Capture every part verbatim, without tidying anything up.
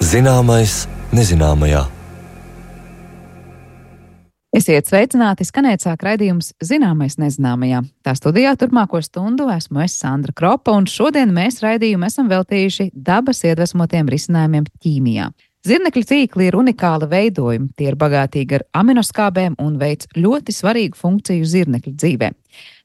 Zināmais nezināmajā. Esiet sveicināti, skanēt sāk raidījums Zināmais nezināmajā. Tā studijā turpmāko stundu esmu es Sandra Kropa, un šodien mēs raidījumu esam veltījuši dabas iedvesmotiem risinājumiem ķīmijā. Zirnekļu tīkli ir unikāli veidojumi, tie ir bagātīgi ar aminoskābēm un veic ļoti svarīgu funkciju zirnekļu dzīvē.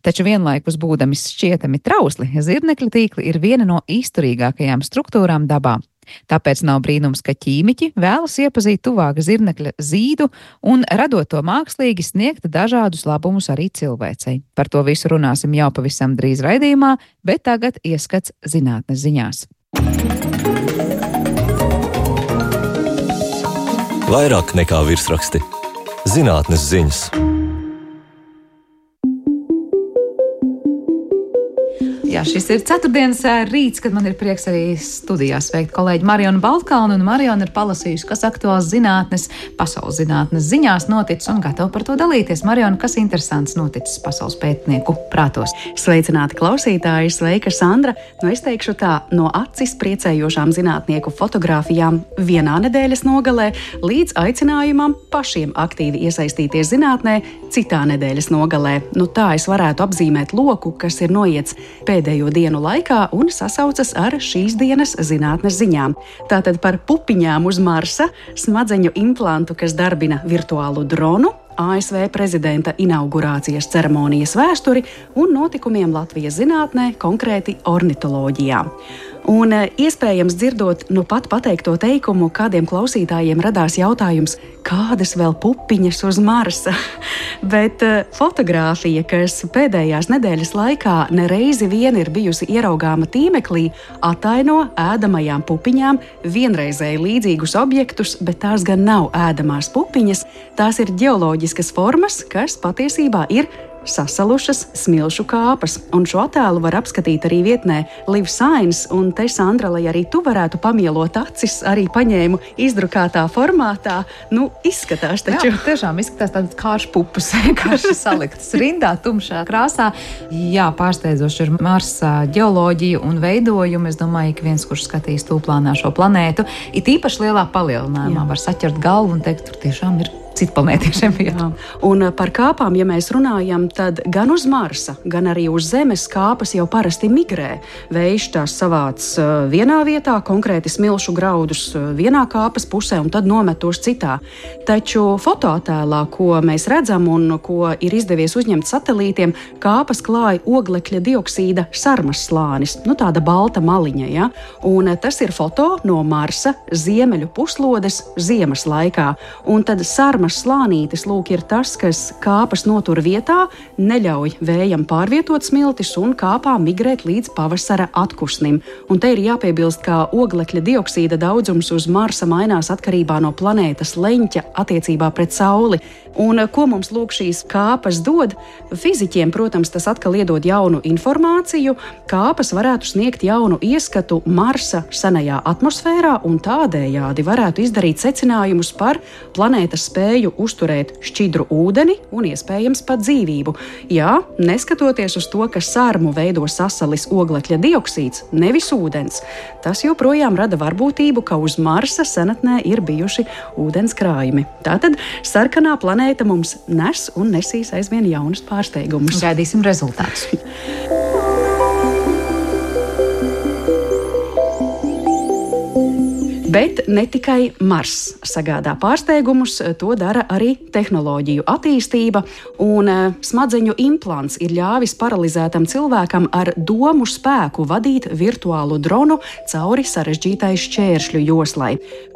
Taču vienlaikus būdami šķietami trausli, zirnekļu tīkli ir viena no izturīgākajām struktūrām dabā. Tāpēc nav brīnums, ka ķīmiķi vēlas iepazīt tuvāk zirnekļa zīdu un, radot to mākslīgi, sniegt dažādus labumus arī cilvēcei. Par to visu runāsim jau pavisam drīz raidījumā, bet tagad ieskats zinātnes ziņās. Vairāk nekā virsraksti. Zinātnes ziņas. Jā, šis ir ceturtdienas rīts, kad man ir prieks arī studijā sveikt kolēģi Marionu Baltkalnu, un Mariona ir palasījusi, kas aktuāls zinātnes, pasaules zinātnes ziņās noticis un gatava par to dalīties. Mariona, kas interesants noticis pasaules pētnieku prātos? Sveicināti klausītāji, sveika Sandra. Nu, es teikšu tā, no acis priecējošām zinātnieku fotogrāfijām vienā nedēļas nogalē līdz aicinājumam pašiem aktīvi iesaistīties zinātnē citā nedēļas nogalē. Nu, tā es varētu apzīmēt loku, kas ir noiets pēdējo dienu laikā un sasaucas ar šīs dienas zinātnes ziņām. Tātad par pupiņām uz Marsa, smadzeņu implantu, kas darbina virtuālu dronu, A S V prezidenta inaugurācijas ceremonijas vēsturi un notikumiem Latvijas zinātnē, konkrēti ornitoloģijā. Un iespējams dzirdot nu pat pateikto teikumu, kādiem klausītājiem radās jautājums, kādas vēl pupiņas uz Marsa? Bet fotogrāfija, kas pēdējās nedēļas laikā nereizi vien ir bijusi ieraugāma tīmeklī, ataino ēdamajām pupiņām vienreizēji līdzīgus objektus, bet tās gan nav ēdamās pupiņas, tās ir ģeoloģiskas formas, kas patiesībā ir sasalušas smilšu kāpas, un šo attēlu var apskatīt arī vietnē Live Science, un te, Sandra, lai arī tu varētu pamielot acis, arī paņēmu izdrukātā formātā. Nu, izskatās taču. Jā, tiešām izskatās tādas kāršu pupas, kārši saliktas rindā, tumšā krāsā. Jā, pārsteidzoši ir Marsa ģeoloģija un veidojumi. Es domāju, ka viens, kurš skatīs tūplānā šo planētu, it īpaši lielā palielinājumā, var saķert galvu un teikt, tur tiešām ir citplanētiešiem vietā. Un par kāpām, ja mēs runājam, tad gan uz Marsa, gan arī uz Zemes kāpas jau parasti migrē. Vējš tās savāc vienā vietā, konkrēti smilšu graudus vienā kāpas pusē un tad nomet tos citā. Taču fotoattēlā, ko mēs redzam un ko ir izdevies uzņemt satelītiem, kāpas klāja oglekļa dioksīda sarmas slānis, nu tāda balta maliņa, ja? Un tas ir foto no Marsa ziemeļu puslodes ziemas laikā. Un tad sarmas slānītis, lūk, ir tas, kas kāpas notur vietā, neļauj vējam pārvietot smiltis un kāpām migrēt līdz pavasara atkusnim. Un te ir jāpiebilst, ka oglekļa dioksīda daudzums uz Marsa mainās atkarībā no planētas leņķa attiecībā pret Sauli. Un ko mums lūk šīs kāpas dod? Fiziķiem, protams, tas atkal iedod jaunu informāciju. Kāpas varētu sniegt jaunu ieskatu Marsa senajā atmosfērā un tādējādi varētu izdarīt secinājumus par planētas spēju uzturēt šķidru ūdeni un iespējams pat dzīvību. Jā, neskatoties uz to, ka sarmu veido sasalis oglekļa dioksīds, nevis ūdens, tas joprojām rada varbūtību, ka uz Marsa senatnē ir bijuši ūdens krājumi. Tātad sarkanā planēta mums nes un nesīs aizvien jaunus pārsteigumus. Gaidīsim rezultātus. Bet ne tikai Mars sagādā pārsteigumus, to dara arī tehnoloģiju attīstība, un smadzeņu implants ir ļāvis paralizētam cilvēkam ar domu spēku vadīt virtuālu dronu cauri sarežģītai šķēršļu joslai.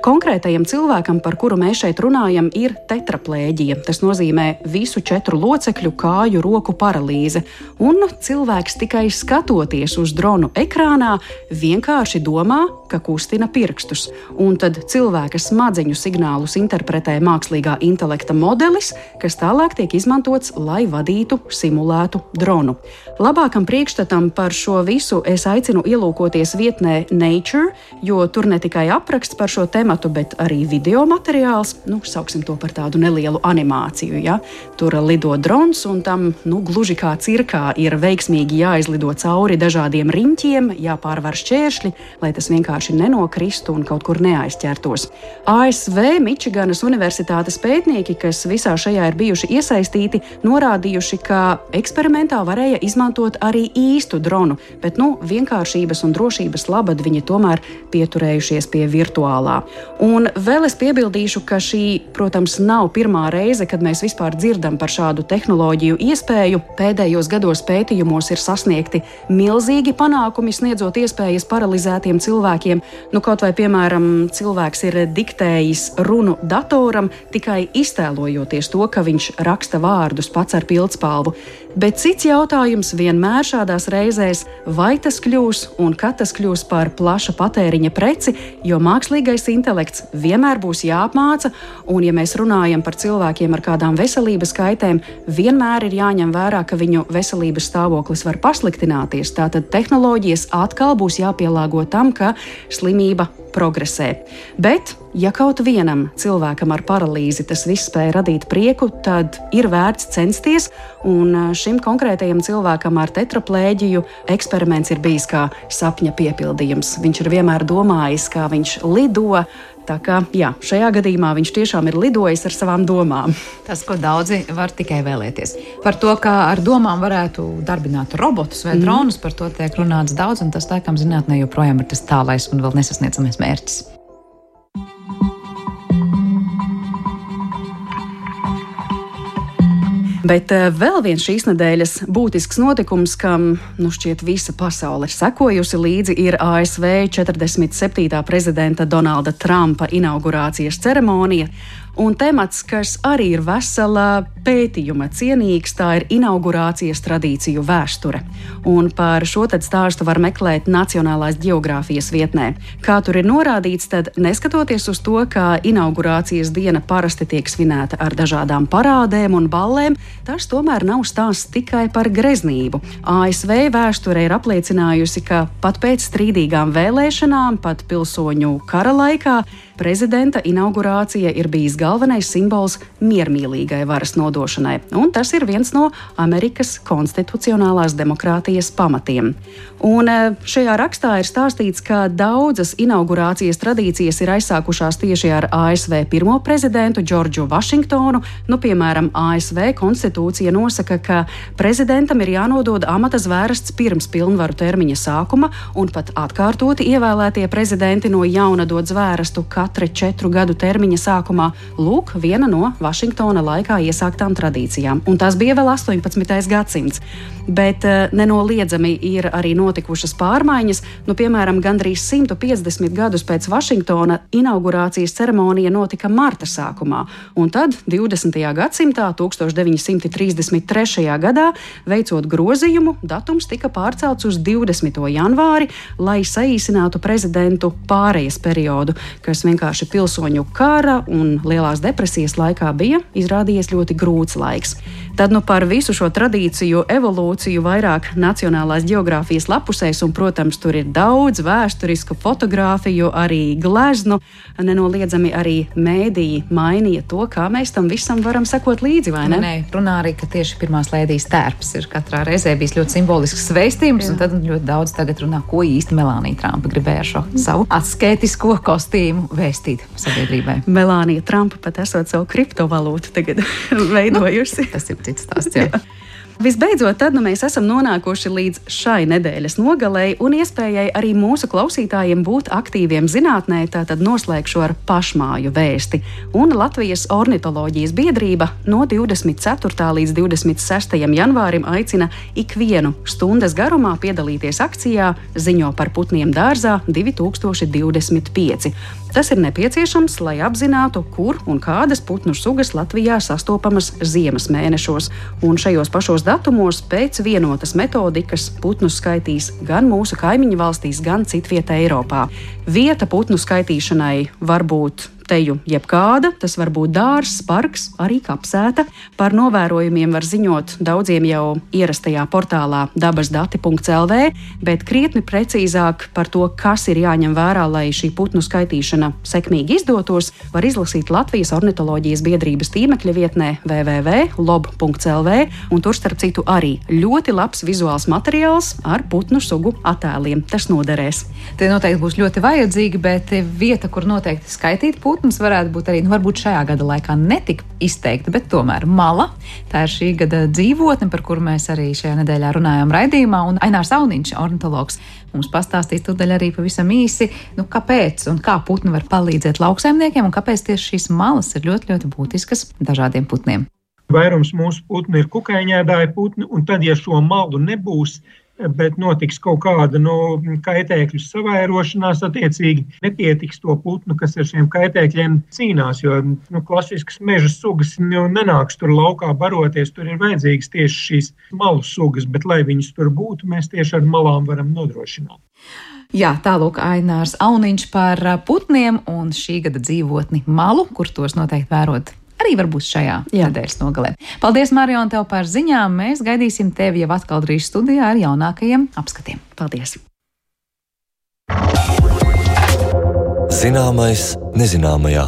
Konkrētajam cilvēkam, par kuru mēs šeit runājam, ir tetraplēģija. Tas nozīmē visu četru locekļu kāju roku paralīze, un cilvēks tikai skatoties uz dronu ekrānā vienkārši domā, ka kustina pirkstus. un tad cilvēka smadzeņu signālus interpretē mākslīgā intelekta modelis, kas tālāk tiek izmantots, lai vadītu simulētu dronu. Labākam priekšstatam par šo visu es aicinu ielūkoties vietnē Nature, jo tur ne tikai apraksts par šo tematu, bet arī video materiāls, nu, sauksim to par tādu nelielu animāciju, ja? Tur lido drons, un tam, nu, gluži kā cirkā ir veiksmīgi jāizlido cauri dažādiem riņķiem, jāpārvar šķēršļi, lai tas vienkārši nenokristu un kaut kur neaizķertos. A S V Mičiganas universitātes pētnieki, kas visā šajā ir bijuši iesaistīti, norādījuši, ka eksperimentā varēja izmantot arī īstu dronu, bet, nu, vienkāršības un drošības labad viņi tomēr pieturējušies pie virtuālā. Un vēl es piebildīšu, ka šī, protams, nav pirmā reize, kad mēs vispār dzirdam par šādu tehnoloģiju iespēju. Pēdējos gados pētījumos ir sasniegti milzīgi panākumi, sniedzot iespējas paralizētiem cilvēkiem. Nu, kaut vai, piemēram, cilvēks ir diktējis runu datoram, tikai iztēlojoties to, ka viņš raksta vārdus pats ar pildspalvu. Bet cits jautājums vienmēr šādās reizēs, vai tas kļūs un kad tas kļūs par plaša patēriņa preci, jo mākslīgais intelekts vienmēr būs jāapmāca, un ja mēs runājam par cilvēkiem ar kādām veselības kaitēm, vienmēr ir jāņem vērā, ka viņu veselības stāvoklis var pasliktināties. Tātad tehnoloģijas atkal būs jāpielāgo tam, ka slimība progresē. Bet, ja kaut vienam cilvēkam ar paralīzi tas viss spēja radīt prieku, tad ir vērts censties, un šim konkrētajam cilvēkam ar tetraplēģiju eksperiments ir bijis kā sapņa piepildījums. Viņš ir vienmēr domājis, kā viņš lido, tā kā, jā, šajā gadījumā viņš tiešām ir lidojis ar savām domām. Tas, ko daudzi var tikai vēlēties. Par to, kā ar domām varētu darbināt robotus vai dronus, mm. par to tiek runāts daudz, un tas, laikam, zinātnē joprojām ir tas tālais un vēl nesasniedzamais mērķis. Bet vēl viens šīs nedēļas būtisks notikums, kam, nu, šķiet visa pasaule ir sekojusi līdzi, ir A S V četrdesmit septītā prezidenta Donalda Trumpa inaugurācijas ceremonija. Un temats, kas arī ir vesela pētījuma cienīgs, tā ir inaugurācijas tradīciju vēsture. Un par šo tad stāstu var meklēt Nacionālās ģeogrāfijas vietnē. Kā tur ir norādīts, tad neskatoties uz to, ka inaugurācijas diena parasti tiek svinēta ar dažādām parādēm un ballēm, tas tomēr nav stāsts tikai par greznību. A S V vēsture ir apliecinājusi, ka pat pēc strīdīgām vēlēšanām, pat pilsoņu kara laikā, prezidenta inaugurācija ir bijis galvenais simbols miermīlīgai varas nodošanai, un tas ir viens no Amerikas konstitucionālās demokrātijas pamatiem. Un šajā rakstā ir stāstīts, ka daudzas inaugurācijas tradīcijas ir aizsākušās tieši ar A S V pirmo prezidentu Džordžu Vašingtonu. Nu, piemēram, A S V konstitūcija nosaka, ka prezidentam ir jānodod amata zvērests pirms pilnvaru termiņa sākuma, un pat atkārtoti ievēlētie prezidenti no jauna dod zvērestu katra četru gadu termiņa sākumā. Lūk, viena no Vašingtona laikā iesāktām tradīcijām. Un tas bija vēl astoņpadsmitais gadsimts. Bet nenoliedzami ir arī notikušas pārmaiņas. Nu, piemēram, gandrīz simt piecdesmit gadus pēc Vašingtona inaugurācijas ceremonija notika marta sākumā. Un tad divdesmitajā gadsimtā, tūkstoš deviņi simti trīsdesmit trešajā gadā, veicot grozījumu, datums tika pārcelts uz divdesmito janvāri, lai saīsinātu prezidentu pārejas periodu, kas vienkārši pilsoņu kara un lielās depresijas laikā bija izrādījies ļoti grūts laiks. Tad nu par visu šo tradīciju evolūciju vairāk Nacionālās ģeogrāfijas lapusēs, un, protams, tur ir daudz vēsturisku fotogrāfiju, arī gleznu. Nenoliedzami arī mēdīji mainīja to, kā mēs tam visam varam sekot līdzi, vai ne? Nē, runā arī, ka tieši pirmās lēdijas tērps ir katrā reizē bijis ļoti simbolisks vēstījums, un tad ļoti daudz tagad runā, ko īsti Melānija Trumpa gribēja ar šo savu asketisko kostīmu vēstīt sabiedrībai. Melānija Trumpa pat esot savu kriptovalūtu tagad veidojusi. Nu, tas ir cits stāsts, jā. jā. Visbeidzot, tad nu mēs esam nonākuši līdz šai nedēļas nogalei un iespējai arī mūsu klausītājiem būt aktīviem zinātnē, tātad noslēgšu ar pašmāju vēsti. Un Latvijas ornitoloģijas biedrība no divdesmit ceturtā līdz divdesmit sestajam janvārim aicina ikvienu stundas garumā piedalīties akcijā Ziņo par putniem dārzā divi tūkstoši divdesmit pieci. Tas ir nepieciešams, lai apzinātu, kur un kādas putnu sugas Latvijā sastopamas ziemas mēnešos, un šajos pašos datumos pēc vienotas metodikas putnus skaitīs gan mūsu kaimiņu valstīs, gan citvietā Eiropā. Vieta putnu skaitīšanai var būt teju jebkāda, tas var būt dārzs, parks, arī kapsēta. Par novērojumiem var ziņot daudziem jau ierastajā portālā dabasdati punkts el vē, bet krietni precīzāk par to, kas ir jāņem vērā, lai šī putnu skaitīšana sekmīgi izdotos, var izlasīt Latvijas ornitoloģijas biedrības tīmekļa vietnē w w w punkts lob punkts el vē, un tur starp citu arī ļoti labs vizuāls materiāls ar putnu sugu attēliem. Tas noderēs. Tie noteikti būs ļoti vajadzīgi, bet vieta, kur noteikti skaitīt putnu, Putns varētu būt arī, nu, varbūt šajā gada laikā netik izteikta, bet tomēr mala. Tā ir šī gada dzīvotne, par kuru mēs arī šajā nedēļā runājām raidījumā, un Ainārs Auniņš, ornitologs, mums pastāstīs tūdaļ arī pavisam īsi, nu, kāpēc un kā putni var palīdzēt lauksaimniekiem, un kāpēc tieši šīs malas ir ļoti, ļoti būtiskas dažādiem putniem. Vairums mūsu putni ir kukaiņēdāji putni, un tad, ja šo malu nebūs, bet notiks kaut kāda no kaitēkļu savairošanās, attiecīgi nepietiks to putnu, kas ar šiem kaitēkļiem cīnās, jo nu, klasiskas meža sugas nu, nenāks tur laukā baroties, tur ir vajadzīgas tieši šīs malu sugas, bet lai viņas tur būtu, mēs tieši ar malām varam nodrošināt. Jā, tālūk Ainārs Auniņš par putniem un šī gada dzīvotni malu, kur tos noteikti vērot. Arī varbūt šajā Jā. nedēļas nogalē. Paldies, Marion, tev par ziņām. Mēs gaidīsim tevi jau atkal drīz studijā ar jaunākajiem apskatiem. Paldies! Zināmais nezināmajā.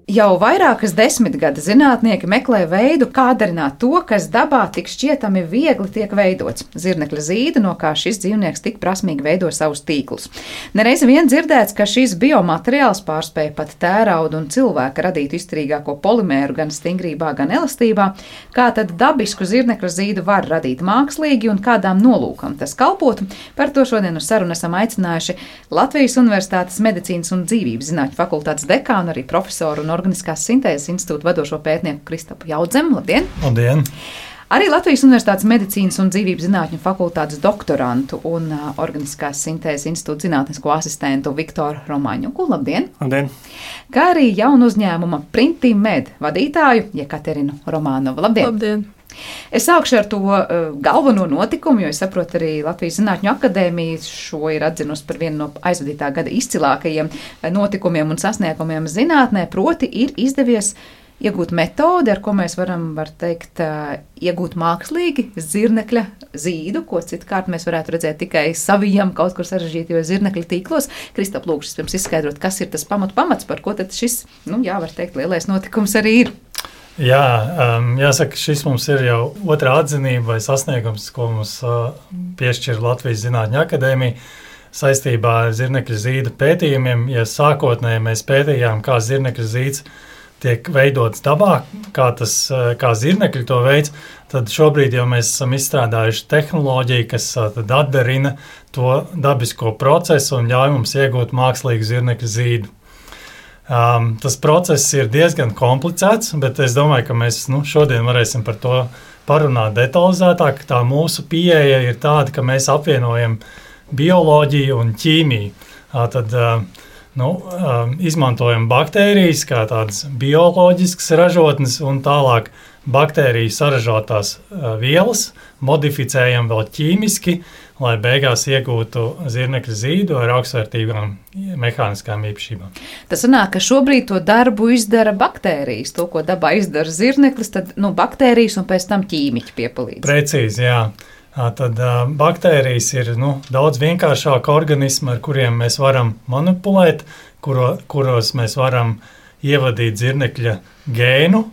Jau vairākas desmitgades zinātnieki meklē veidu, kā darināt to, kas dabā tik šķietami viegli tiek veidots. Zirnekļa zīda, no kā šis dzīvnieks tik prasmīgi veido savus tīklus. Nereiz vien dzirdēts, ka šis biomateriāls pārspēja pat tērauda un cilvēka radītu izturīgāko polimēru gan stingrībā, gan elastībā. Kā tad dabisku zirnekļa zīdu var radīt mākslīgi un kādām nolūkam tas kalpotu? Par to šodien uz sarunu esam aicinājuši Latvijas Universitātes medicīnas un dzīvības zinātņu fakultātes dekānu, arī profesoru un Organiskās sintēzes institūta vadošo pētnieku Kristapu Jaudzemu. Labdien! Labdien! Arī Latvijas Universitātes medicīnas un dzīvības zinātņu fakultātes doktorantu un uh, Organiskās sintēzes institūta zinātnisko asistentu Viktoru Romaņuku. Labdien! Labdien! Kā arī jaunu uzņēmuma Printimed vadītāju Jekaterinu Romānovu. Labdien! Labdien! Es sākšu ar to uh, galveno notikumu, jo es saprotu, arī Latvijas Zinātņu akadēmija šo ir atzinusi par vienu no aizvadītā gada izcilākajiem notikumiem un sasniegumiem zinātnē, proti ir izdevies iegūt metodi, ar ko mēs varam, var teikt, uh, iegūt mākslīgi zirnekļa zīdu, ko citkārt mēs varētu redzēt tikai savijam kaut kur sarežģītajos zirnekļa tīklos. Kristap, lūkšu pirms izskaidrot, kas ir tas pamat pamats, par ko tad šis, nu jā, var teikt, lielais notikums arī ir. Jā, um, jāsaka, šis mums ir jau otrā atzinība vai sasniegums, ko mums uh, piešķir Latvijas Zinātņu akadēmija saistībā ar zirnekļa zīda pētījumiem. Ja sākotnēji mēs pētījām, kā zirnekļa zīds tiek veidots dabā, kā, tas, uh, kā zirnekļi to veids, tad šobrīd jau mēs esam izstrādājuši tehnoloģiju, kas uh, tad atdarina to dabisko procesu un ļauj mums iegūt mākslīgu zirnekļa zīdu. Um, tas process ir diezgan komplicēts, bet es domāju, ka mēs nu, šodien varēsim par to parunāt detalizētāk. Tā mūsu pieeja ir tāda, ka mēs apvienojam bioloģiju un ķīmiju. Tad uh, nu, uh, izmantojam baktērijas kā tādas bioloģiskas ražotnes un tālāk baktēriju saražotās uh, vielas, modificējam vēl ķīmiski, lai beigās iegūtu zirnekļa zīdu ar augstvērtīgām mehāniskām īpašībām. Tas sanāk, ka šobrīd to darbu izdara baktērijas. To, ko dabā izdara zirneklis, tad nu, baktērijas un pēc tam ķīmiķi piepalīdz. Precīzi, jā. Tad uh, baktērijas ir nu, daudz vienkāršāka organisma, ar kuriem mēs varam manipulēt, kuro, kuros mēs varam ievadīt zirnekļa gēnu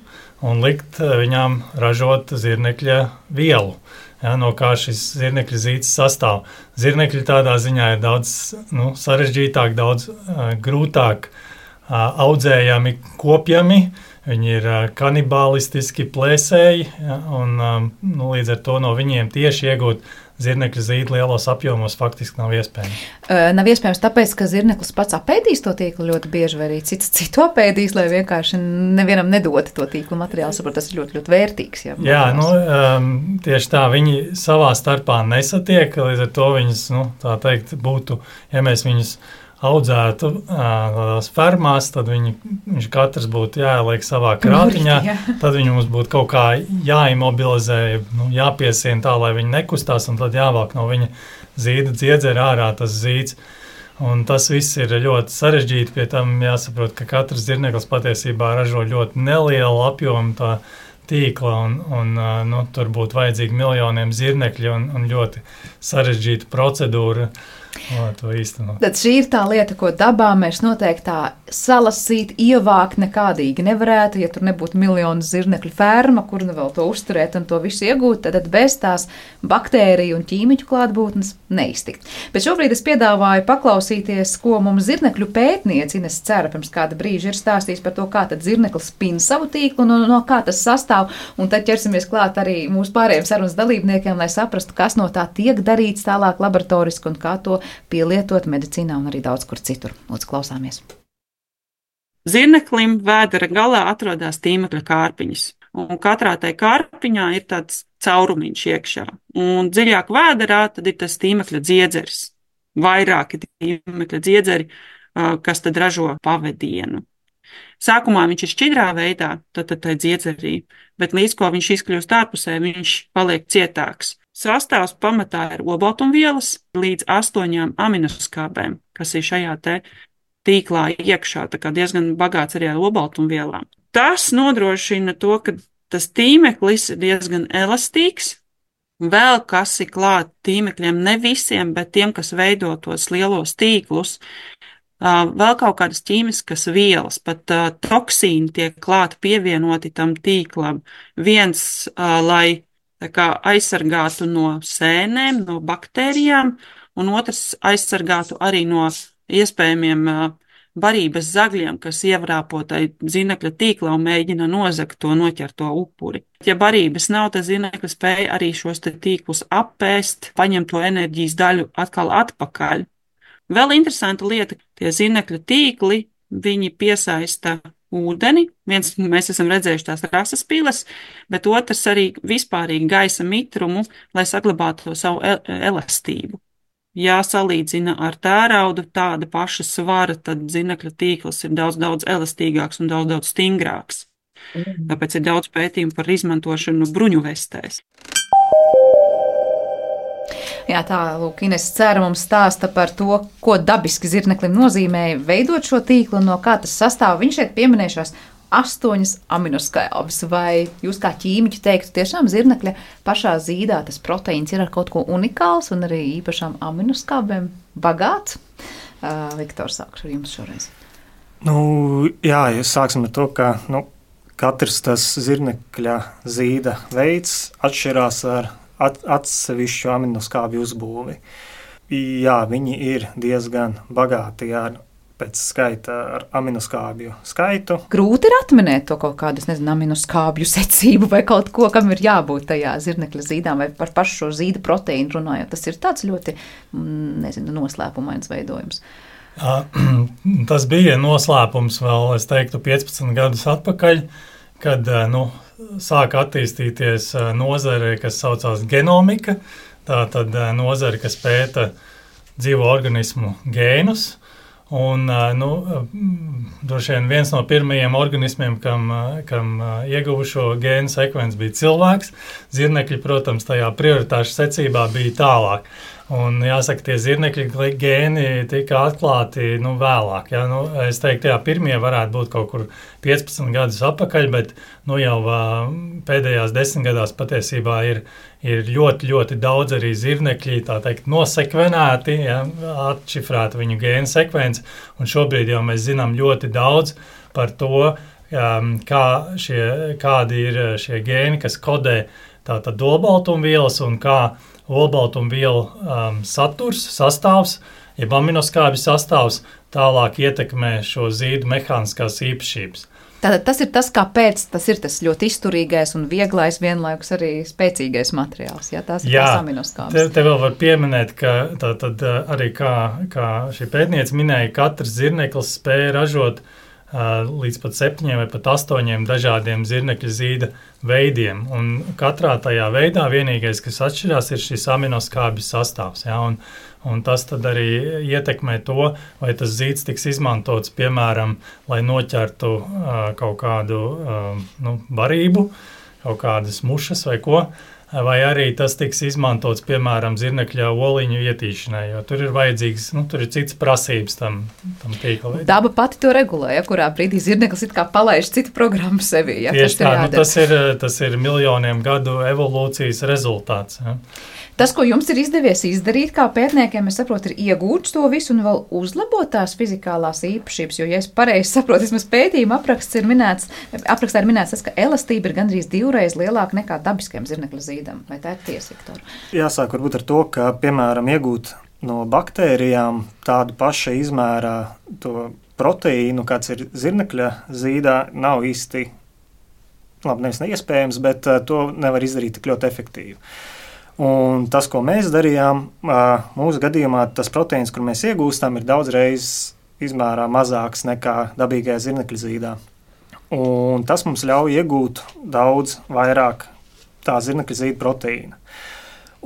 un likt viņām ražot zirnekļa vielu. Ja, no kā šis zirnekļa zīds sastāv. Zirnekļi tādā ziņā ir daudz nu, sarežģītāk, daudz uh, grūtāk uh, audzējami, kopjami. Viņi ir uh, kanibālistiski plēsēji, ja, un um, nu, līdz ar to no viņiem tieši iegūt zirnekļa zīdi lielos apjomos faktiski nav iespējams. Uh, nav iespējams tāpēc, ka zirneklis pats apēdīs to tīklu ļoti bieži, vai arī cits citu apēdīs, lai vienkārši nevienam nedod to tīklu materiālu. Saprot, tas ir ļoti, ļoti vērtīgs. Jā, jā nu, um, tieši tā, viņi savā starpā nesatiek, līdz ar to viņas, nu, tā teikt, būtu, ja mēs viņus audzētu tādās fermās, tad viņi, viņš katrs būtu jāieliek savā krātiņā, tad viņi mums būtu kaut kā jāimobilizē, nu, jāpiesien tā, lai viņi nekustās, un tad jāvāk no viņa zīda dziedzera ārā tas zīds. Un tas viss ir ļoti sarežģīti, pie tam jāsaprot, ka katrs zirneklis patiesībā ražo ļoti nelielu apjomu tā tīkla, un, un nu, tur būtu vajadzīgi miljoniem zirnekļi un, un ļoti sarežģīta procedūra. O, to īstenot. Tad šī ir tā lieta, ko dabā mēs noteikti tā salasīt, ievākt nekādīgi nevarētu, ja tur nebūtu miljonu zirnekļu ferma, kur nu vēl to uzturēt un to visu iegūt, tad bez tās baktēriju un ķīmiķu klātbūtnes neiztikt. Bet šobrīd es piedāvāju paklausīties, ko mums zirnekļu pētniece Ines Cera pirms kāda brīža ir stāstījis par to, kā tad zirneklis spin savu tīklu un no, no kā tas sastāv, un tad ķersimies klāt arī mūsu pārējiem sarunas dalībniekiem, lai saprastu, kas no tā tiek darīts tālāk laboratoriski un kā to pielietot medicīnā un arī daudz kur citur. Lūdzu, klausāmies. Zirneklim vēdera galā atrodas tīmekļa kārpiņas, un katrā tai kārpiņā ir tāds caurumiņš iekšā. Un dziļāk vēderā tad ir tas tīmekļa dziedzeris, vairāki tīmekļa dziedzeri, kas tad ražo pavadienu. Sākumā viņš ir šķidrā veidā, tad tad tai dziedzerī, bet līdz ko viņš izkļūst ārpusē, viņš paliek cietāks. Sastāvs pamatā ir olbaltumvielas līdz astoņām aminoskābēm, kas ir šajā te tīklā iekšā, tā kā diezgan bagāts arī ar olbaltumvielām. Tas nodrošina to, ka tas tīmeklis ir diezgan elastīgs. Vēl kas ir klāt tīmekļiem, ne visiem, bet tiem, kas veido tos lielos tīklus, vēl kaut kādas ķīmiskas vielas, pat toksīni tiek klāt pievienoti tam tīklam. Viens, lai tā kā aizsargātu no sēnēm, no baktērijām, un otrs aizsargātu arī no iespējamiem barības zagļiem, kas ievrāpo tai zirnekļa tīklā un mēģina nozagt to noķerto upuri. Ja barības nav, tad zirnekļa spēja arī šos te tīklus apēst, paņemt to enerģijas daļu atkal atpakaļ. Vēl interesanta lieta, tie zirnekļa tīkli, viņi piesaista ūdeni. Viens, mēs esam redzējuši tās rasas piles, bet otrs arī vispārīgi gaisa mitrumu, lai saglabātu to savu elastību. Ja salīdzina ar tēraudu tāda paša svara, tad zirnekļa tīkls ir daudz, daudz elastīgāks un daudz, daudz stingrāks. Mm. Tāpēc ir daudz pētījumu par izmantošanu bruņuvestēs. Jā, tā, lūk, Ines Cera mums stāsta par to, ko dabiski zirneklim nozīmē veidot šo tīklu un no kā tas sastāv. Viņš šeit pieminējušās astoņas aminoskābes, vai jūs kā ķīmiķi teiktu, tiešām zirnekļa pašā zīdā tas proteīns ir ar kaut ko unikāls un arī īpašām aminoskābēm bagāts? Uh, Viktor, sākšu ar jums šoreiz. Nu, jā, ja sāksim ar to, ka nu, katrs tas zirnekļa zīda veids atšķirās ar at, atsevišķu aminoskābju uzbūvi. Jā, viņi ir diezgan bagāti ar pēc skaita ar aminoskābju skaitu. Grūti ir atminēt to kaut kādu, es nezinu, aminoskābju secību vai kaut ko, kam ir jābūt tajā zirnekļa zīdām vai par pašu šo zīda proteīnu runājot. Tas ir tāds ļoti, nezinu, noslēpumains veidojums. Tas bija noslēpums vēl, es teiktu, piecpadsmit gadus atpakaļ, kad, nu, sāka attīstīties nozare, kas saucās genomika, tā tad nozare, kas pēta dzīvo organismu gēnus. Un, nu, droši vien viens no pirmajiem organismiem, kam, kam ieguva šo gēnu sekvenci, bija cilvēks. Zirnekļi, protams, tajā prioritāšu secībā bija tālāk. Un jāsaka, tie zirnekļi gēni tika atklāti nu, vēlāk. Ja? Nu, es teiktu, jā, pirmie varētu būt kaut kur piecpadsmit gadus atpakaļ, bet nu, jau pēdējās desmit gadās patiesībā ir, ir ļoti, ļoti daudz arī zirnekļi, tā teikt, nosekvenēti, ja? Atšifrēta viņu gēnu sekvenci. Un šobrīd jau mēs zinām ļoti daudz par to, kā šie, kādi ir šie gēni, kas kodē tātad olbaltumvielas un kā olbaltumvielu um, saturs, sastāvs, jeb aminoskābju sastāvs tālāk ietekmē šo zīdu mehāniskās īpašības. Tātad tas ir tas, kāpēc tas ir tas ļoti izturīgais un vieglais, vienlaikus arī spēcīgais materiāls. Ja? Tās ir Jā, tās aminoskābes. Te, te vēl var pieminēt, ka tā, tad, arī kā, kā šī pētniece minēja, katrs zirneklis spēja ražot uh, līdz pat septiņiem vai pat astoņiem dažādiem zirnekļa zīda veidiem. Un katrā tajā veidā vienīgais, kas atšķirās, ir šis aminoskābju sastāvs. Ja? Un, Un tas tad arī ietekmē to, vai tas zīds tiks izmantots, piemēram, lai noķertu uh, kaut kādu uh, nu, barību, kaut kādas mušas vai ko, vai arī tas tiks izmantots, piemēram, zirnekļa oliņu ietīšanai, jo tur ir vajadzīgs, nu, tur ir cits prasības tam, tam tīkla veidam. Daba pati to regulē, ja, kurā brīdī zirneklis it kā palaiž citu programmu sevi. Ja, Tieši tā, nu, tas, ir, tas ir miljoniem gadu evolūcijas rezultāts. Ja. Tas, ko jums ir izdevies izdarīt kā pētniekiem, es saprotu, ir iegūt to visu un vēl uzlabot tās fizikālās īpašības, jo, ja es pareizi saprotu, vismaz pētījuma apraksts ir minēts, aprakstā ir minēts tas, ka elastība ir gandrīz divreiz lielāka nekā dabiskajam zirnekļa zīdam. Vai tā ir tiesa, Viktor? Jāsāk varbūt ar to, ka, piemēram, iegūt no baktērijām tādu paša izmērā to proteīnu, kāds ir zirnekļa zīdā, nav īsti, labi, nevis neiespējams, bet to nevar izdarīt tik ļoti efektīvi. Un tas, ko mēs darījām, mūsu gadījumā tas proteīns, kur mēs iegūstam, ir daudz reizes izmērā mazāks nekā dabīgajā zirnekļa zīdā. Un tas mums ļauj iegūt daudz vairāk tā zirnekļa zīda proteīna.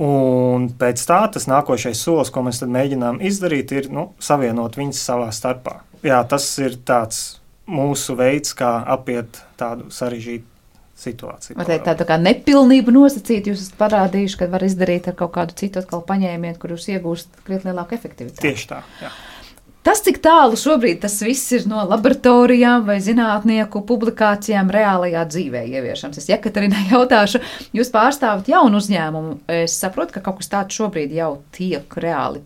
Un pēc tā tas nākošais solis, ko mēs tad mēģinām izdarīt, ir nu, savienot viņus savā starpā. Jā, tas ir tāds mūsu veids, kā apiet tādu sarežģītu situācija. Vai tā tā kā nepilnība nosacīt, jūs esat parādījuši, ka var izdarīt ar kaut kādu citu atkal paņēmienu, kur jūs iegūst krietni lielāku efektivitāti? Tieši tā, jā. Tas, cik tālu šobrīd tas viss ir no laboratorijām vai zinātnieku publikācijām reālajā dzīvē ieviešanas. Es Jekaterina jautāšu, jūs pārstāvat jaunu uzņēmumu. Es saprotu, ka kaut kas tāds šobrīd jau tiek reāli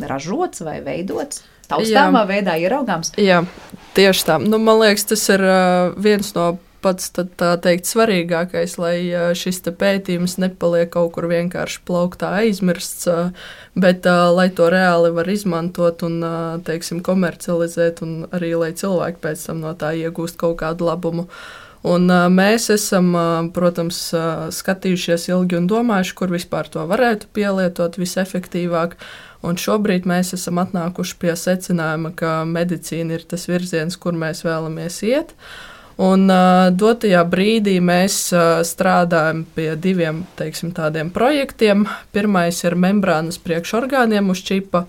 ražots vai veidots. Taustāmā veidā ieraugāms? Jā, tieši tā. Nu, man liekas, tas ir uh, viens no pats tad, tā teikt svarīgākais, lai šis te pētījums nepaliek kaut kur vienkārši plauktā aizmirsts, bet lai to reāli var izmantot un, teiksim, komercializēt un arī, lai cilvēki pēc tam no tā iegūst kaut kādu labumu. Un mēs esam, protams, skatījušies ilgi un domājuši, kur vispār to varētu pielietot visefektīvāk. Un šobrīd mēs esam atnākuši pie secinājuma, ka medicīna ir tas virziens, kur mēs vēlamies iet. Un uh, dotajā brīdī mēs uh, strādājam pie diviem, teiksim, tādiem projektiem. Pirmais ir membrānas priekšorgāniem uz čipa.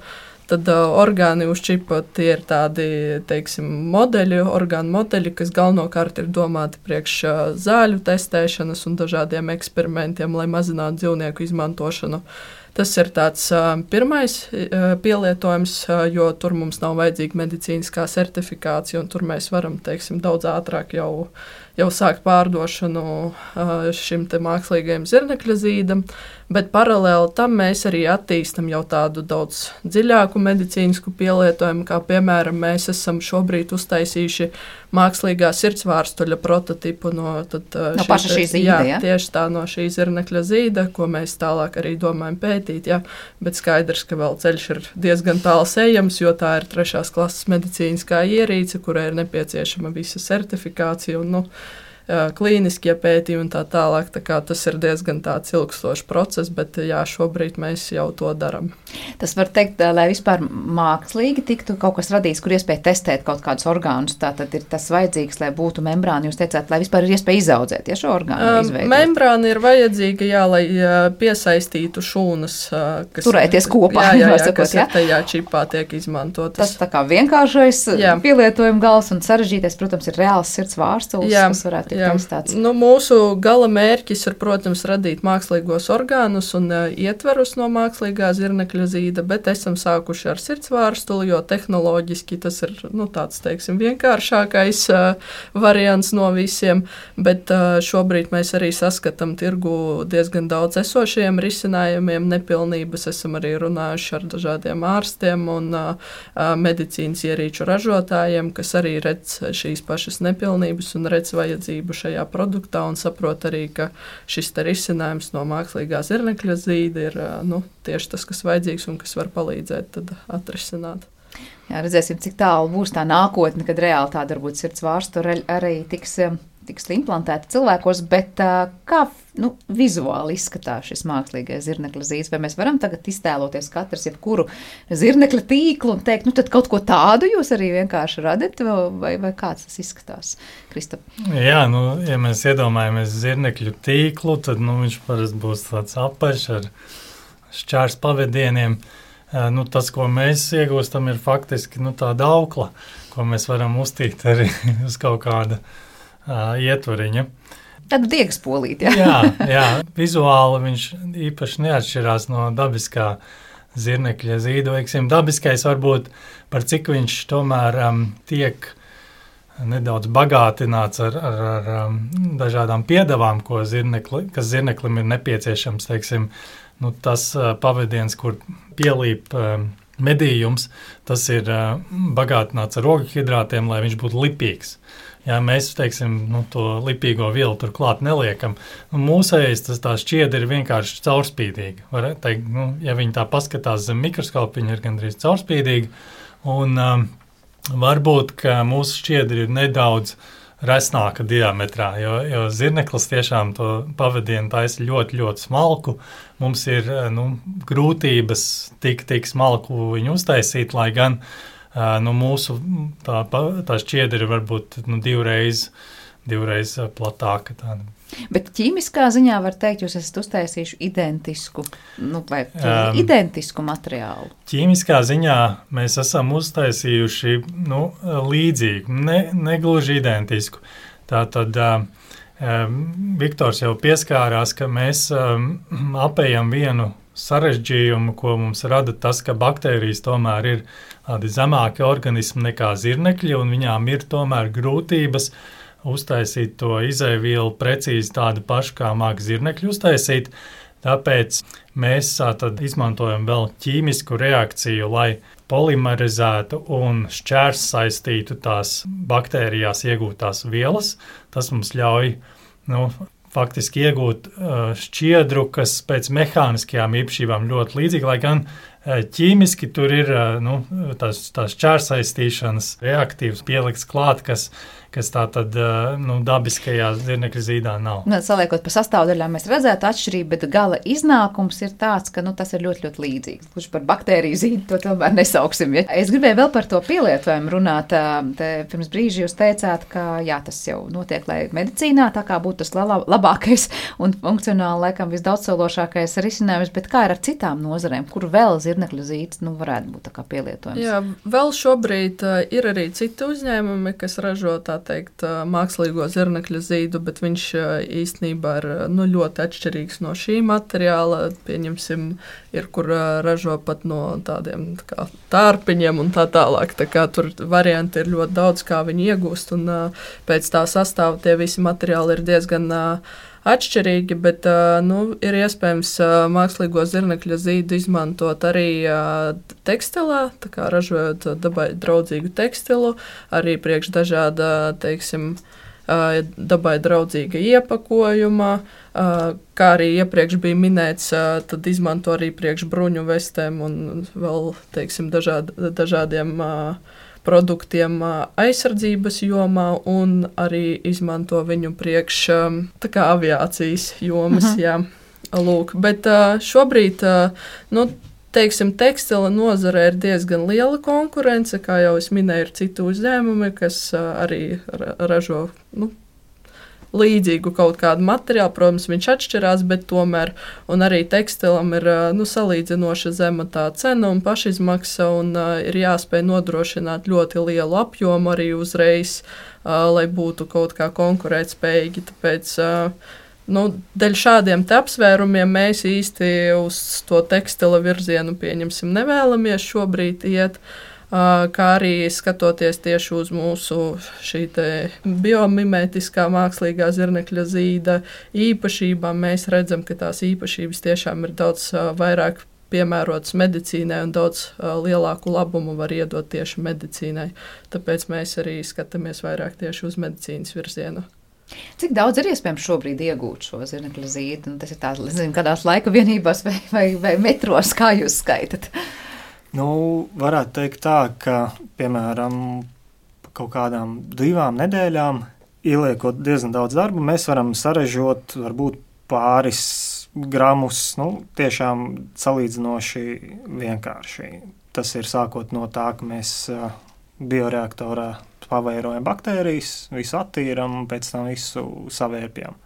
Tad uh, orgāni uz čipa tie ir tādi, teiksim, modeļi, orgānu modeļi, kas galvenokārt ir domāti priekš uh, zāļu testēšanas un dažādiem eksperimentiem, lai mazinātu dzīvnieku izmantošanu. Tas ir tāds uh, pirmais uh, pielietojums, uh, jo tur mums nav vajadzīga medicīniskā certifikācija, un tur mēs varam, teiksim, daudz ātrāk jau, jau sākt pārdošanu uh, šim te mākslīgajam zirnekļa zīdam, bet paralēli tam mēs arī attīstam jau tādu daudz dziļāku medicīnisku pielietojumu, kā piemēram mēs esam šobrīd uztaisījuši mākslīgā sirdsvārstuļa prototipu no, tad, uh, no paša šī zīda, jā, ja? Tieši tā no šī zirnekļa zīda, ko mēs tālāk arī domājam pētīt. Jā, bet skaidrs, ka vēl ceļš ir diezgan tāls ejams, jo tā ir trešās klases medicīniskā ierīce, kurai ir nepieciešama visa certifikācija un nu, klīniskie pētījumi un tā tālāk. Tā kā tas ir diezgan tāds ilgstošs process, bet jā, šobrīd mēs jau to daram. Tas var teikt, lai vispār mākslīgi tiktu kaut kas radīts, kur iespēja testēt kaut kādus orgānus. Tātad ir tas vajadzīgs, lai būtu membrāna. Jūs teicāt, lai vispār ir iespēja izaudzēt, ja šo orgānu izveidot. Membrāna ir vajadzīga, jā, lai piesaistītu šūnas, kas turēties kopā, jā, jā, jā, sakot, kas jā? ir tajā čipā tiek izmantotas. Tas tā kā vienkāršais jā. Pielietojuma gals un sarežģītais, protams, ir reāls sirds vārstulis, kas varētu Jā, nu, mūsu gala mērķis ir, protams, radīt mākslīgos orgānus un uh, ietverus no mākslīgā zirnekļa zīda, bet esam sākuši ar sirdsvārstuli, jo tehnoloģiski tas ir nu, tāds, teiksim, vienkāršākais uh, variants no visiem, bet uh, šobrīd mēs arī saskatām tirgu diezgan daudz esošajiem risinājumiem, nepilnības esam arī runājuši ar dažādiem ārstiem un uh, medicīnas ierīču ražotājiem, kas arī redz šīs pašas nepilnības un redz vajadzību šajā produktā un saprot arī, ka šis te risinājums no mākslīgā zirnekļa zīda ir nu, tieši tas, kas vajadzīgs un kas var palīdzēt tad atrisināt. Jā, redzēsim, cik tālu būs tā nākotne, kad reāli tāda varbūt sirds vārstu arī tiks, tiks implantēta cilvēkos, bet kā nu, vizuāli izskatās šis mākslīgais zirnekļa zīds? Vai mēs varam tagad iztēloties katrs jebkuru zirnekļa tīklu un teikt, nu tad kaut ko tādu jūs arī vienkārši radat, vai, vai kāds tas izskatās? Kristap? Jā, nu, ja mēs iedomājamies zirnekļu tīklu, tad nu, viņš parasti būs tāds apaļš ar šķērs pavadieniem. Nu, tas, ko mēs iegūstam, ir faktiski nu, tāda aukla, ko mēs varam uztīt arī uz kaut kāda uh, ietvariņa. Tad diegas polīt, jā? jā, jā, vizuāli viņš īpaši neatšķirās no dabiskā zirnekļa zīda. Veiksim, dabiskais varbūt par cik viņš tomēr um, tiek nedaudz bagātināts ar, ar, ar um, dažādām piedevām, ko zirnekli, kas zirneklim ir nepieciešams, teiksim, nu, tas uh, pavadiens, kur pielīp uh, medījums, tas ir uh, bagātināts ar ogļhidrātiem, lai viņš būtu lipīgs. Jā, mēs, teiksim, nu, to lipīgo vielu tur klāt neliekam. Nu, mūsējais tas tā šķiedra ir vienkārši caurspīdīga. Var teikt, nu, ja viņi tā paskatās zem mikroskopa, viņi ir gandrīz caurspīdīga. Un um, varbūt, ka mūsu šķiedra ir nedaudz resnāka diametrā, jo, jo zirneklis tiešām to pavadienu taisa ļoti, ļoti smalku. Mums ir nu, grūtības tik, tik smalku viņu uztaisīt, lai gan nu, mūsu tā, tā šķiedra ir varbūt nu, divreiz, divreiz platāka. Tāda. Bet ķīmiskā ziņā var teikt, jūs esat uztaisījuši identisku, nu, vai um, identisku materiālu? Ķīmiskā ziņā mēs esam uztaisījuši nu, līdzīgu, ne, negluži identisku. Tātad um, Viktors jau pieskārās, ka mēs um, apējam vienu sarežģījumu, ko mums rada tas, ka baktērijas tomēr ir tādi zemāki organismi nekā zirnekļi, un viņām ir tomēr grūtības uztaisīt to izēvielu precīzi tādu pašu, kā māk zirnekļu uztaisīt. Tāpēc mēs tad izmantojam vēl ķīmisku reakciju, lai polimerizētu un šķērs saistītu tās baktērijās iegūtās vielas. Tas mums ļauj nu, faktiski iegūt uh, šķiedru, kas pēc mehāniskajām īpašībām ļoti līdzīga, lai gan uh, ķīmiski tur ir uh, nu, tās, tās šķērsaistīšanas reaktīvas pielikts klāt, kas kas tā tad nu, dabiskajā zirnekļa zīdā nav. Nu, saliekot pa sastāvdaļām, mēs redzētu atšķirību, bet gala iznākums ir tāds, ka nu, tas ir ļoti, ļoti līdzīgs. Kurš par baktēriju zīdu to tomēr nesauksim. Ja? Es gribēju vēl par to pielietojumu runāt. Te pirms brīža jūs teicāt, ka jā, tas jau notiek, lai medicīnā tā kā būtu tas labākais un funkcionāli laikam visdaudzsološākais risinājums, bet kā ir ar citām nozarēm, kur vēl zirnekļa zīds nu, varētu būt tā kā pielietojums? Jā, vēl šobrīd uh, ir arī citi uzņēmumi, kas ražo tā teikt, mākslīgo zirnekļa zīdu, bet viņš īstenībā ir nu, ļoti atšķirīgs no šī materiāla. Pieņemsim, ir, kur ražo pat no tādiem tā kā, tārpiņiem un tā tālāk. Tā kā tur varianti ir ļoti daudz, kā viņi iegūst, un pēc tā sastāva tie visi materiāli ir diezgan atšķirīgi, bet nu, ir iespējams mākslīgo zirnekļa zīdu izmantot arī tekstilā, tā kā ražojot dabai draudzīgu tekstilu, arī priekš dažāda, teiksim, dabai draudzīga iepakojuma, kā arī iepriekš bija minēts, tad izmanto arī priekš bruņu vestēm un vēl, teiksim, dažād, dažādiem produktiem aizsardzības jomā un arī izmanto viņu priekš tā kā aviācijas jomas, uh-huh. jā, lūk. Bet šobrīd, nu, teiksim, tekstila nozare ir diezgan liela konkurence, kā jau es minēju, ir citi uzņēmumi, kas arī ražo, nu, līdzīgu kaut kādu materiālu, protams, viņš atšķirās, bet tomēr, un arī tekstilam ir, nu, salīdzinoša zema tā cena un pašizmaksa, un uh, ir jāspēj nodrošināt ļoti lielu apjomu arī uzreiz, uh, lai būtu kaut kā konkurētspējīgi, tāpēc, uh, nu, dēļ šādiem te apsvērumiem mēs īsti uz to tekstila virzienu, pieņemsim, nevēlamies šobrīd iet, kā arī skatoties tieši uz mūsu šī te biomimētiskā mākslīgā zirnekļa zīda īpašībām, mēs redzam, ka tās īpašības tiešām ir daudz vairāk piemērotas medicīnai un daudz lielāku labumu var iedot tieši medicīnai. Tāpēc mēs arī skatāmies vairāk tieši uz medicīnas virzienu. Cik daudz ir iespējams šobrīd iegūt šo zirnekļa zīdu? Tas ir tāds, nezinu, kādās laika vienībās vai, vai, vai metros, kā jūs skaitat? Nu, varētu teikt tā, ka, piemēram, kaut kādām divām nedēļām, ieliekot diezgan daudz darba, mēs varam sarežot varbūt pāris gramus, nu, tiešām salīdzinoši vienkārši. Tas ir sākot no tā, ka mēs bioreaktorā pavairojam baktērijas, visu attīram un pēc tam visu savērpjam.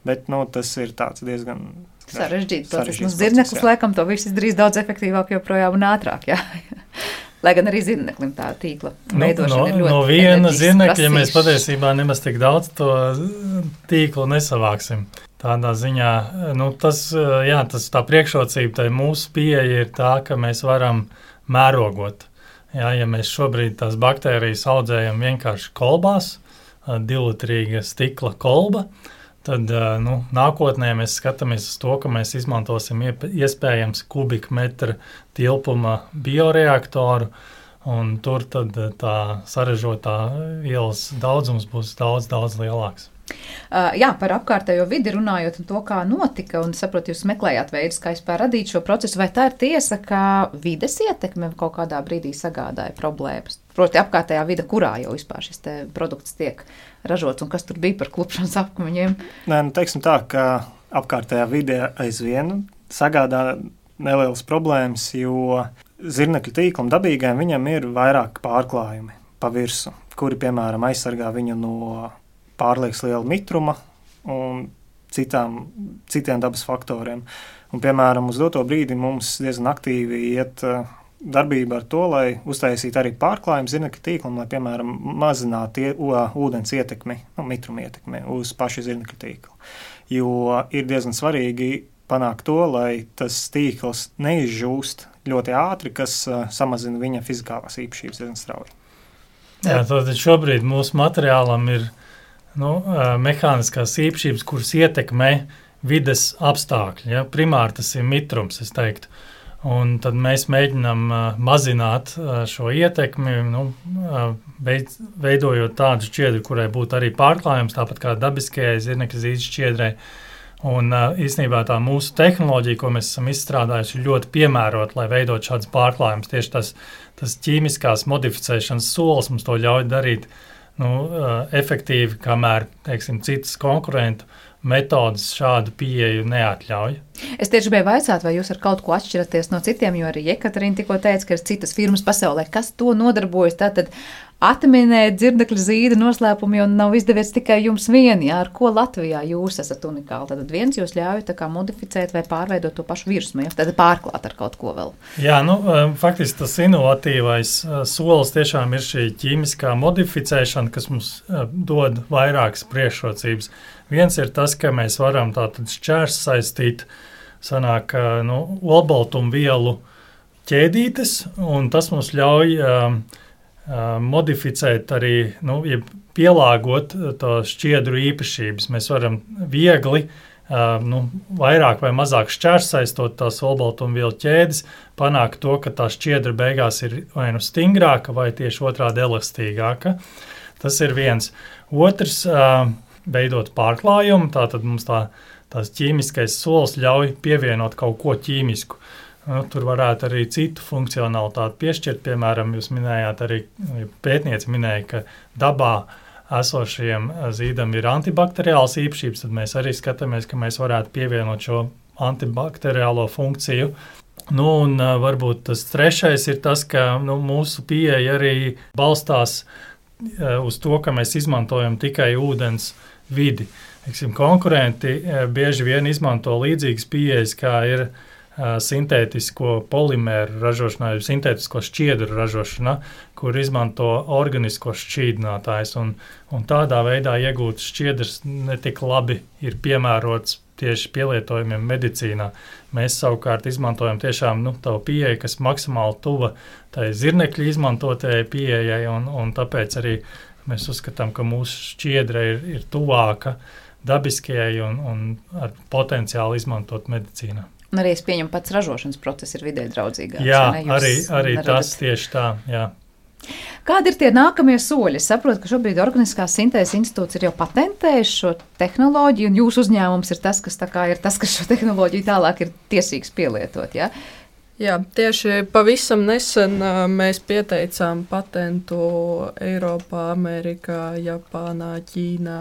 Bet, nu, tas ir tāds diezgan sarežģīts process. Nu, zirneklis laikam to viss izdarīs daudz efektīvāk joprojām un ātrāk, jā. Lai gan arī zirneklim tā tīkla veidošana no, ir ļoti no viena zirnekļa mēs prasīšu. patiesībā nemaz tik daudz to tīklu nesavāksim. Tādā ziņā, nu, tas, jā, tas tā priekšrocība, tai mūsu pieeja ir tā, ka mēs varam mērogot. Jā, ja mēs šobrīd tās baktērijas audzējam vienkārši kolbās, divlitrīga stikla kolba, tad nu, nākotnē mēs skatāmies uz to, ka mēs izmantosim iespējams kubikmetra tilpuma bioreaktoru, un tur tad tā sarežotā vielas daudzums būs daudz, daudz lielāks. Uh, jā, par apkārtējo vidi runājot un to, kā notika, un saprotu, jūs meklējāt veidus, kā vispār radīt šo procesu, vai tā ir tiesa, ka vides ietekme kaut kādā brīdī sagādāja problēmas? Proti apkārtējā vide, kurā jau vispār šis te produkts tiek ražots, un kas tur bija par klupšanas apkaņiem? Nē, nu teiksim tā, ka apkārtējā vide aizvien sagādā nelielas problēmas, jo zirnekļu tīklam dabīgajam viņam ir vairāk pārklājumi pa virsu, kuri, piemēram, aizsargā viņu no pārlieks liela mitruma un citām, citiem dabas faktoriem. Un, piemēram, uz doto brīdi mums diezgan aktīvi iet darbība ar to, lai uztaisītu arī pārklājumu zirnekļu tīklam, lai, piemēram, mazinātu ie, ūdens ietekmi, nu, mitruma ietekmi uz pašu zirnekļu tīklu. Jo ir diezgan svarīgi panākt to, lai tas tīkls neizžūst ļoti ātri, kas uh, samazina viņa fizikālās īpašības diezgan strauji. Jā, tad šobrīd mūsu materiālam ir Nu, mehāniskās īpašības, kuras ietekmē vides apstākļi. Ja? Primāri tas ir mitrums, es teiktu. Un tad mēs mēģinām mazināt šo ietekmi, nu, veidojot tādu šķiedru, kurai būtu arī pārklājums, tāpat kā dabiskajai zirnekļa zīdes šķiedrai. Un īstenībā tā mūsu tehnoloģija, ko mēs esam izstrādājuši, ir ļoti piemērota, lai veidot šādas pārklājumus. Tieši tas, tas ķīmiskās modificēšanas solis mums to ļauj darīt Nu, efektīvi, kamēr, teiksim, citas konkurentu metodas šādu pieeju neatļauj. Es tieši gribēju vaicāt, vai jūs ar kaut ko atšķiraties no citiem, jo arī Jekaterina tikko teica, ka ir citas firmas pasaulē, kas to nodarbojas. Tātad atminēt dzirnekļa zīda noslēpumi un nav izdevies tikai jums vieni, jā, ar ko Latvijā jūs esat unikāli. Tad viens jūs ļauj tā kā modificēt vai pārveidot to pašu virsmu, ja? Tad pārklāt ar kaut ko vēl. Jā, nu, faktiski tas inovatīvais solis tiešām ir šī ķīmiskā modificēšana, kas mums dod vairākas priekšrocības. Viens ir tas, ka mēs varam tātad šķērs saistīt, sanāk, nu, olbaltumvielu ķēdītes, un tas mums ļauj um, modificēt arī, nu, ja pielāgot to šķiedru īpašības. Mēs varam viegli, uh, nu, vairāk vai mazāk šķērsaistot tās olbaltumvielu ķēdes, panākt to, ka tā šķiedra beigās ir vai nu stingrāka vai tieši otrādi elastīgāka. Tas ir viens. Otrs, uh, veidot pārklājumu, tātad mums tā, tās ķīmiskais solis ļauj pievienot kaut ko ķīmisku. Nu, tur varētu arī citu funkcionalitāti piešķirt. Piemēram, jūs minējāt arī, pētnieci minēja, ka dabā esošajiem zīdam ir antibakteriāls īpašības, tad mēs arī skatāmies, ka mēs varētu pievienot šo antibakteriālo funkciju. Nu, un varbūt tas trešais ir tas, ka nu, mūsu pieeja arī balstās uz to, ka mēs izmantojam tikai ūdens vidi. Eksim, konkurenti bieži vien izmanto līdzīgas pieejas, kā ir sintētisko polimēru ražošanā, sintētisko šķiedru ražošanā, kur izmanto organiskos šķīdinātājus. Un, un tādā veidā iegūts šķiedrs netik labi ir piemērots tieši pielietojumiem medicīnā. Mēs savukārt izmantojam tiešām nu, tavu pieeju, kas maksimāli tuva tai zirnekļa izmantotajai pieejai, un, un tāpēc arī mēs uzskatām, ka mūsu šķiedra ir, ir tuvāka dabiskajai un, un ar potenciālu izmantot medicīnā. Un arī es pieņemu pats ražošanas process ir vidē draudzīgāks. Jā, arī, arī tas tieši tā, jā. Kādi ir tie nākamie soļi? Es saprotu, ka šobrīd Organiskās sintēzes institūts ir jau patentējis šo tehnoloģiju, un jūsu uzņēmums ir tas, kas tā kā ir tas, kas šo tehnoloģiju tālāk ir tiesīgs pielietot, jā? Jā, tieši pavisam nesen uh, mēs pieteicām patentu Eiropā, Amerikā, Japānā, Ķīnā,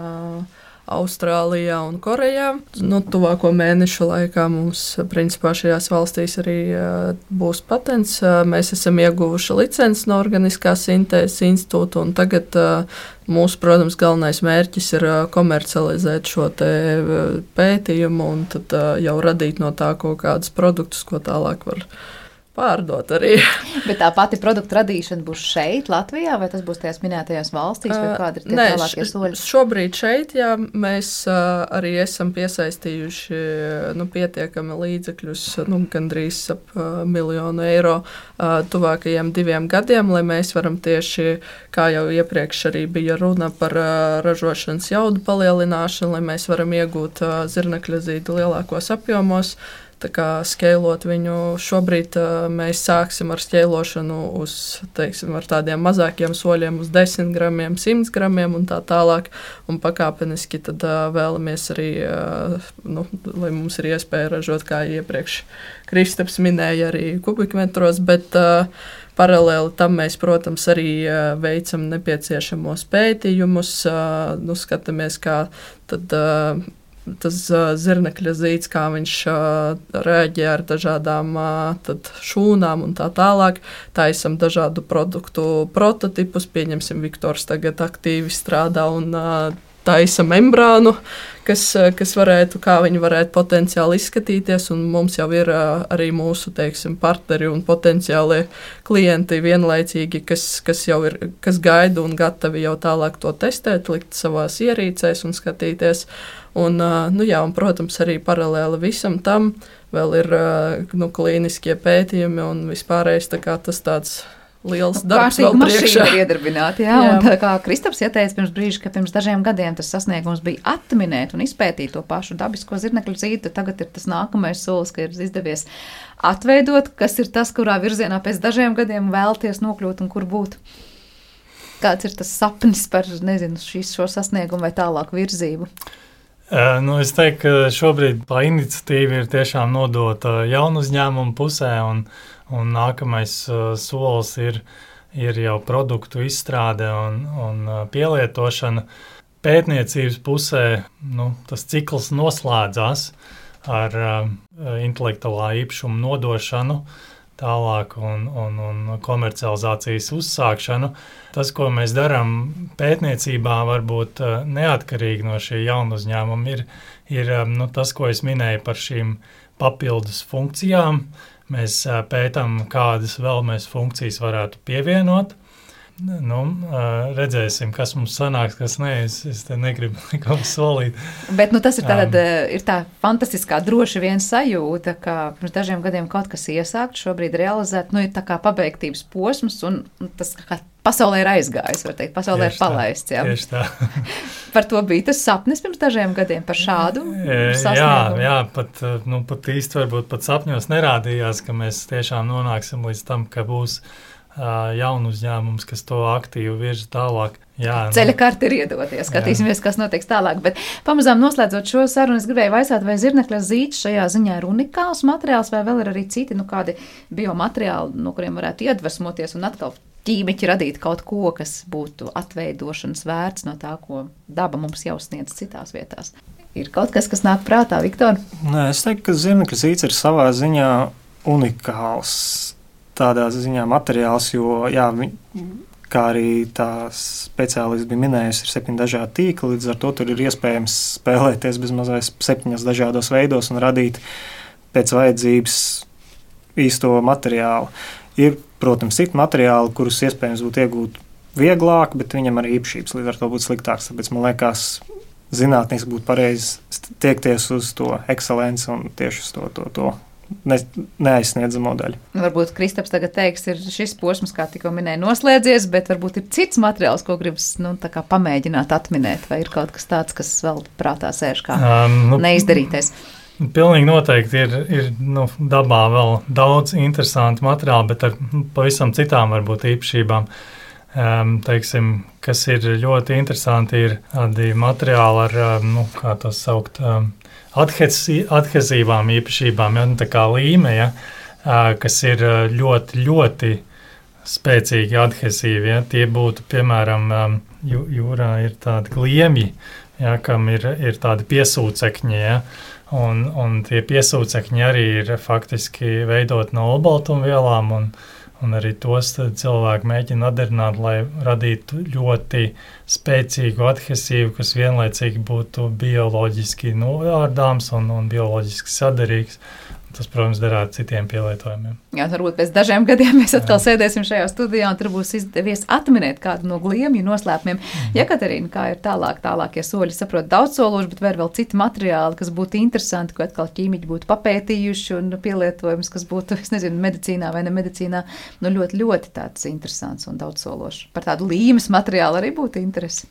Austrālijā un Korejā. Nu, tuvāko mēnešu laikā mums, principā, šajās valstīs arī uh, būs patents. Uh, mēs esam ieguvuši licenci no Organiskās sintēzes institūta, un tagad uh, mūsu, protams, galvenais mērķis ir uh, komercializēt šo te uh, pētījumu un tad uh, jau radīt no tā kaut kādus produktus, ko tālāk var pārdot arī. Bet tā pati produktu radīšana būs šeit, Latvijā, vai tas būs tajās minētajās valstīs, vai kādi ir tie Nē, tālākie soļi? Šobrīd šeit, jā, mēs uh, arī esam piesaistījuši nu, pietiekami līdzekļus, nu, gandrīz ap uh, miljonu eiro uh, tuvākajiem diviem gadiem, lai mēs varam tieši, kā jau iepriekš arī bija runa par uh, ražošanas jaudu palielināšanu, lai mēs varam iegūt uh, zirnekļa zīdu lielākos apjomos. Tā kā skeilot viņu, šobrīd uh, mēs sāksim ar skelošanu uz, teiksim, ar tādiem mazākiem soļiem uz desmit gramiem, simt gramiem un tā tālāk. Un pakāpeniski tad uh, vēlamies arī, uh, nu, lai mums ir iespēja ražot, kā iepriekš Kristaps minēja, arī kubikmetros, bet uh, paralēli tam mēs, protams, arī uh, veicam nepieciešamos pētījumus, uh, nu, skatāmies, kā tad uh, tas uh, zirnekļa zīds, kā viņš uh, reaģē ar dažādām uh, tad šūnām un tā tālāk. Taisam dažādu produktu prototipus, pieņemsim, Viktors tagad aktīvi strādā un uh, taisa membrānu, kas, kas varētu, kā viņi varētu potenciāli izskatīties, un mums jau ir uh, arī mūsu, teiksim, partneri un potenciālie klienti vienlaicīgi, kas, kas jau ir, kas gaida un gatavi jau tālāk to testēt, likt savās ierīcēs un skatīties. Un, nu jā, un, protams, arī paralēli visam tam vēl ir nu, klīniskie pētījumi un vispārējais tā kā tas tāds liels darbs vēl priekšā. Ir iedarbināti, jā, jā. Un tā kā Kristaps ieteica pirms brīža, ka pirms dažiem gadiem tas sasniegums bija atminēt un izpētīt to pašu dabisko zirnekļu zīdu, tagad ir tas nākamais solis, ka ir izdevies atveidot, kas ir tas, kurā virzienā pēc dažiem gadiem vēlties nokļūt un kur būt. Kāds ir tas sapnis par, nezinu, šīs, šo sasniegumu vai tālāku virzību? Uh, nu, es teiktu, ka šobrīd tā iniciatīva ir tiešām nodota jaunu uzņēmumu pusē, un, un nākamais uh, solis ir, ir jau produktu izstrāde un, un uh, pielietošana. Pētniecības pusē nu, tas cikls noslēdzās ar uh, intelektuālā īpašuma nodošanu tālāk un, un, un komercializācijas uzsākšanu. Tas, ko mēs darām pētniecībā, varbūt neatkarīgi no šī jauna uzņēmuma, ir, ir nu, tas, ko es minēju par šīm papildus funkcijām. Mēs pētām, kādas vēl mēs funkcijas varētu pievienot. Nu, redzēsim, kas mums sanāks, kas nē, es, es te negribu neko solīt. Bet nu, tas ir, tātad, um, ir tā fantastiskā droši vien sajūta, ka pirms dažiem gadiem kaut kas iesākt, šobrīd realizēt, nu ir tā kā pabeigtības posms, un tas kā pasaulē ir aizgājis, var teikt, pasaulē ir palaists. Jā. Tieši tā. Par to bija tas sapnis pirms dažiem gadiem, par šādu sasniegumu. Jā, jā, pat, nu, pat īsti varbūt pat sapņos nerādījās, ka mēs tiešām nonāksim līdz tam, ka būs jaunu uzņēmums, kas to aktīvi virza tālāk. Jā, Ceļa nu, karti ir iedoties, skatīsimies, jā. Kas notiks tālāk. Bet pamazām noslēdzot šo sarunu, es gribēju vaicāt, vai zirnekļa zīds šajā ziņā ir unikāls materiāls, vai vēl ir arī citi, nu kādi biomateriāli, no kuriem varētu iedvesmoties un atkal ķīmiķi radīt kaut ko, kas būtu atveidošanas vērts no tā, ko daba mums jau sniedz citās vietās. Ir kaut kas, kas nāk prātā, Viktor? Nē, es teiktu, ka zirnekļa zīds ir savā ziņā unikāls. Tādā ziņā materiāls, jo, jā, kā arī tā speciālists bija minējusi, ir septiņi dažādi tīkli, līdz ar to tur ir iespējams spēlēties bez mazais septiņas dažādos veidos un radīt pēc vajadzības īsto materiālu. Ir, protams, citi materiāli, kurus iespējams būtu iegūt vieglāk, bet viņam arī īpašības līdz ar to būtu sliktāks. Tāpēc man liekas, zinātniski būtu pareizi tiekties uz to ekscelenci un tieši uz to, to, to. Ne, neaizsniedzamo daļu. Varbūt Kristaps tagad teiks, ir šis posms, kā tikko minēja, noslēdzies, bet varbūt ir cits materiāls, ko gribas nu, tā kā pamēģināt atminēt, vai ir kaut kas tāds, kas vēl prātā sēž kā um, nu, neizdarītais. Pilnīgi noteikti ir, ir nu, dabā vēl daudz interesantu materiālu, bet ar pavisam citām varbūt īpašībām. Um, teiksim, kas ir ļoti interesanti, ir tādi materiāli ar, nu, kā to saukt, um, adhezi, adhezīvām īpašībām, ja, tā kā līme, ja, kas ir ļoti, ļoti spēcīgi adhesīvi. Ja? Tie būtu, piemēram, jūrā ir tādi gliemji, ja, kam ir, ir tādi piesūcekņi, ja? un, un tie piesūcekņi arī ir faktiski veidot no olbaltumvielām, un, un arī tos cilvēki mēģina atdarināt, lai radītu ļoti spēcīgu adhesīvu, kas vienlaicīgi būtu bioloģiski noārdāms un, un bioloģiski saderīgs. Tas, protams, derētu citiem pielietojumiem. Jā, varbūt pēc dažiem gadiem mēs atkal Jā. sēdēsim šajā studijā un tur būs izdevies atminēt kādu no gliemju noslēpumiem. Mm. Jekaterīna, kā ir tālāk, tālākie soļi, saprot daudzsološi, bet vēl vēl citi materiāli, kas būtu interesanti, ko atkal ķīmiķi būtu papētījuši un pielietojums, kas būtu, es nezinu, medicīnā vai ne medicīnā, nu ļoti, ļoti tāds interesants un daudzsološs. Par tādu līmes materiālu arī būtu interesi.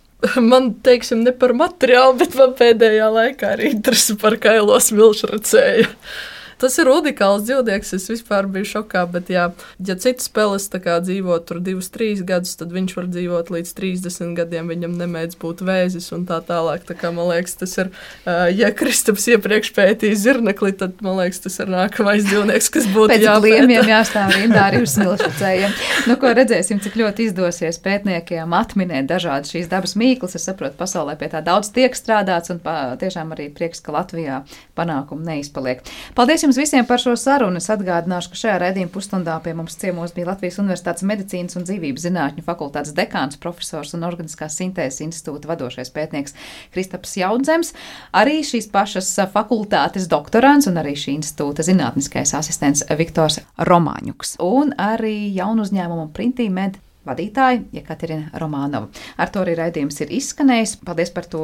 Man, teiksim, ne par materiālu, bet man pēdējā laikā ir interesi par kailo smilšu racēju. Tas ir unikāls dzīvnieks, es vispār biju šokā, bet jā, ja citas peles tā kā dzīvo tur divus, trīs gadus, tad viņš var dzīvot līdz trīsdesmit gadiem, viņam nemēdz būt vēzis un tā tālāk. Tā kā, man liekas, tas ir, ja Kristaps iepriekš pētīja zirnekli, tad, man liekas, tas ir nākamais dzīvnieks, kas būtu jāpēta. Pēc gliemiem jāstāv rindā arī uz smilšracējiem. Nu, ko redzēsim, cik ļoti izdosies pētniekiem atminēt dažādas šīs dabas mīklas. Es saprotu, pasaulē pie tā daudz tiek strādāts un pa, tiešām arī prieks, ka Latvijā panākumu neizpaliek. Paldies jums visiem par šo sarunu. Es atgādināšu, ka šajā raidījuma pusstundā pie mums ciemos bija Latvijas Universitātes medicīnas un dzīvības zinātņu fakultātes dekāns, profesors un organiskās sintēzes institūta vadošais pētnieks Kristaps Jaudzems, arī šīs pašas fakultātes doktorants un arī šī institūta zinātniskais asistents Viktors Romāņuks un arī jaunu uzņēmumu Printīmed vadītāja Jekaterina Romanova. Ar to arī raidījums ir izskanējis. Paldies par to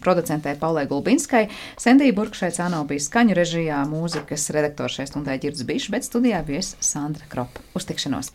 producentē Paulai Gulbinskai. Sendija Burkšaicā nav bijis skaņu režijā, mūzikas redaktors šai stundai Ģirds Bišs, bet studijā vies Sandra Kropa. Uz tikšanos!